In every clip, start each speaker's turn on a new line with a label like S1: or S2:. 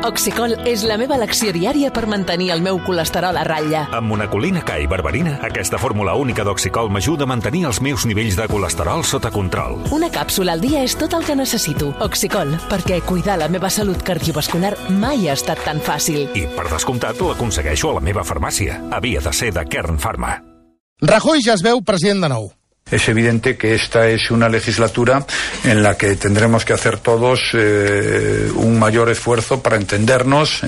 S1: Oxicol és la meva elecció diària per mantenir el meu colesterol a ratlla.
S2: Amb monacolina K i berberina, aquesta fórmula única d'Oxicol m'ajuda a mantenir els meus nivells de colesterol sota control.
S1: Una càpsula al dia és tot el que necessito. Oxicol, perquè cuidar la meva salut cardiovascular mai ha estat tan fàcil.
S2: I, per descomptat, l'aconsegueixo a la meva farmàcia. Havia de ser de Kern Pharma.
S3: Rajoy ja es veu president de nou.
S4: Es evidente que esta es una legislatura en la que tendremos que hacer todos un mayor esfuerzo para entendernos,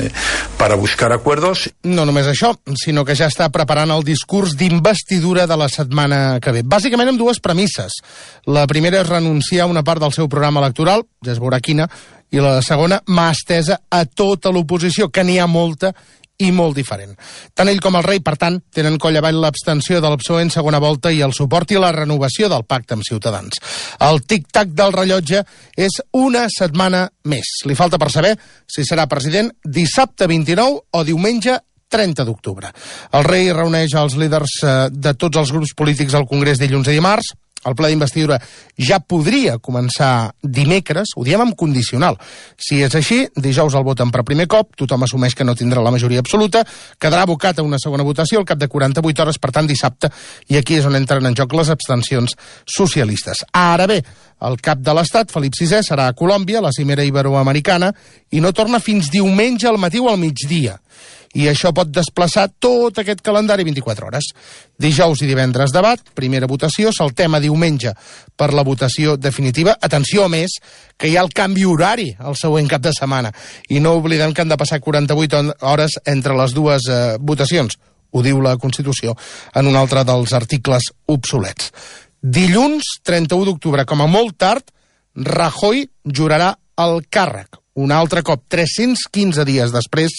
S4: para buscar acuerdos.
S3: No només això, sinó que ja està preparant el discurs d'investidura de la setmana que ve. Bàsicament amb dues premisses. La primera és renunciar a una part del seu programa electoral, ja es veurà quina, i la segona, mà estesa a tota l'oposició, que n'hi ha molta i molt diferent. Tant ell com el rei, per tant, tenen coll avall l'abstenció del PSOE en segona volta i el suport i la renovació del pacte amb Ciutadans. El tic-tac del rellotge és una setmana més. Li falta per saber si serà president dissabte 29 o diumenge 30 d'octubre. El rei reuneix els líders de tots els grups polítics al Congrés dilluns i dimarts. El ple d'investidura ja podria començar dimecres, ho diem amb condicional. Si és així, dijous el voten per primer cop, tothom assumeix que no tindrà la majoria absoluta, quedarà abocat a una segona votació al cap de 48 hores, per tant dissabte, i aquí és on entren en joc les abstencions socialistes. Ara bé, el cap de l'Estat, Felip VI, serà a Colòmbia, la cimera iberoamericana, i no torna fins diumenge al matí o al migdia. I això pot desplaçar tot aquest calendari 24 hores. Dijous i divendres debat, primera votació, saltem a diumenge per la votació definitiva. Atenció, a més, que hi ha el canvi horari el següent cap de setmana. I no oblidem que han de passar 48 hores entre les dues votacions. Ho diu la Constitució en un altre dels articles obsolets. Dilluns, 31 d'octubre, com a molt tard, Rajoy jurarà el càrrec. Un altre cop, 315 dies després,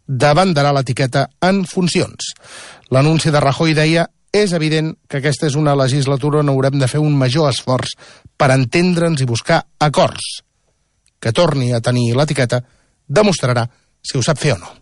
S3: debandarà l'etiqueta en funcions. L'anunci de Rajoy deia: és evident que aquesta és una legislatura on haurem de fer un major esforç per entendre'ns i buscar acords. Que torni a tenir l'etiqueta demostrarà si ho sap fer o no.